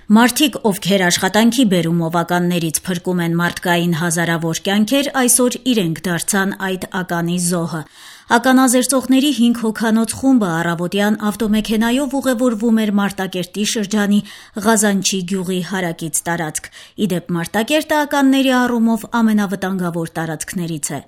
Մարդիկ, ովքեր աշխատանքի բերումով ականներից փրկում են մարդկային հազարավոր կյանքեր, այսօր իրենք դարձան այդ ականի զոհը։ Ականազերծողների 5 հոգանոց խումբը առավոտյան ավտոմեքենայով ուղևորվում էր Մարտակերտի շրջանի Ղազանչի գյուղի հարակից տարածք։ Իդեպ Մարտակերտը ականների առումով ամենավտանգավոր տարածքներից է։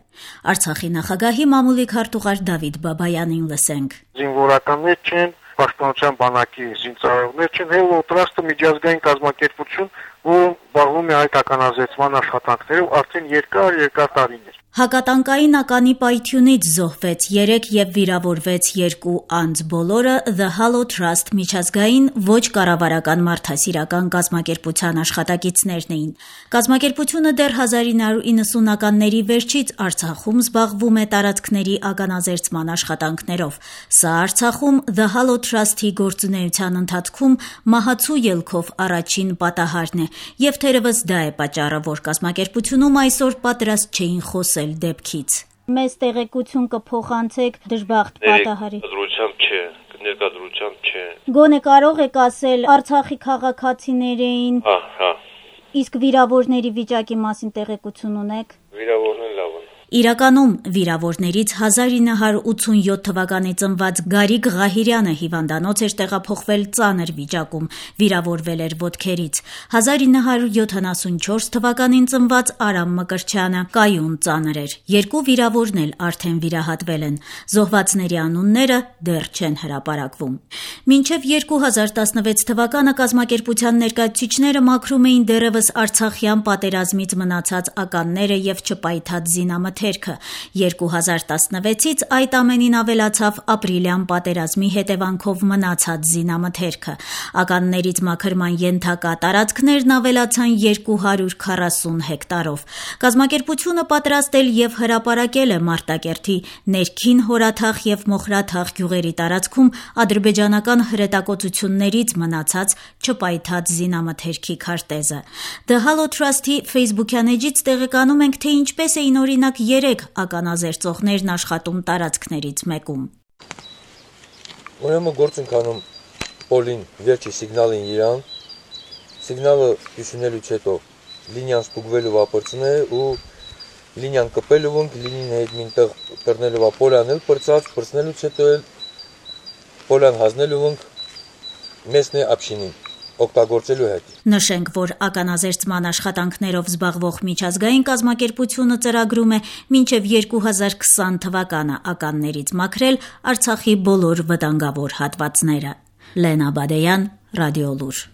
Արցախի նախագահի մամուլի քարտուղար Դավիթ Բաբայանին լսենք։ Զինվորականներ չեն, պաշտպանության բանակի զինծառայողներ չեն, Հելոտրաստը միջազգային կազմակերպություն, որ զբաղվում է այդ ականազերծման աշխատանքներով արդեն երկար տարիներ։ Հակատանկային ականի պայթյունից զոհվեց 3 եւ վիրավորվեց 2 անձ, բոլորը The Halo Trust միջազգային ոչ կառավարական մարդասիրական կազմակերպության աշխատակիցներն էին։ Կազմակերպությունը դեռ 1990-ականների վերջից Արցախում զբաղվում է տարածքների ականազերծման աշխատանքներով։ Սա Արցախում The Halo Trust-ի գործունեության ընթացքում մահացու ելքով առաջին պատահարն է, եւ թերևս դա է պատճառը, որ կազմակերպությունում այսօր պատրաստ չէին խոսել դեպքից։ Մեզ տեղեկություն կփոխանցեք դժբախտ պատահարի։ Ներկայությամբ չէ։ Գոնե կարող եք ասել Արցախի քաղաքացիներ էին։ Հա։ Իսկ վիրավորների վիճակի մասին տեղեկություն ունեք։ Վիրավորներն լավ են։ Իրականում վիրավորներից 1987 թվականի ծնված Գարիկ Ղահիրյանը հիվանդանոց էր տեղափոխվել ծանր վիճակում, վիրավորվել էր ոտքերից։ 1974 թվականին ծնված Արամ Մկրտչյանը կայուն ծանր էր։ 2 վիրավորն էլ արդեն վիրահատվել են։ Զոհվածների անունները դեռ չեն հրապարակվում։ Մինչև 2016 թվականը կազմակերպության ներկայացուցիչները մաքրում էին դեռևս Արցախյան պատերազմից մնացած ականները եւ չպայթած զինամթերքը։ 2016-ից այդ ամենին ավելացավ ապրիլյան պատերազմի հետևանքով մնացած զինամթերքը։ Ականներից մաքրման ենթակա տարածքներն ավելացան 240 հեկտարով։ Կազմակերպությունը պատրաստել եւ հրապարակել է Մարտակերտի ներքին Հորաթաղ եւ Մոխրաթաղ գյուղերի տարածքում ադրբեջանական հրետակոծություններից մնացած չպայթած զինամթերքի քարտեզը։ The Halo Trust-ի Facebook-յան էջից տեղեկանում ենք, թե ինչպես էին օրինակ 3 ականազերծողներն աշխատում տարածքներից մեկում։ Ուրեմն գործ ենք անում Պոլին վերջի սիգնալին իրան, սիգնալը հյուսունելուց հետո լինիան ստուգվելու վապրծն է ու լինիան կպելու ենք, լինին հետ մինտեղ կրնելու Պոլյան էլ պրծնելուց հետո էլ Պոլյան հազնելու ենք մեսնե ապշինին օգտագործելու հետ։ Նշենք, որ ականազերծման աշխատանքներով զբաղվող միջազգային կազմակերպությունը ծրագրում է մինչև 2020 թվականը ականներից մաքրել Արցախի բոլոր վտանգավոր հատվածները։ Լենա Բադեյան, Ռադիոլուր։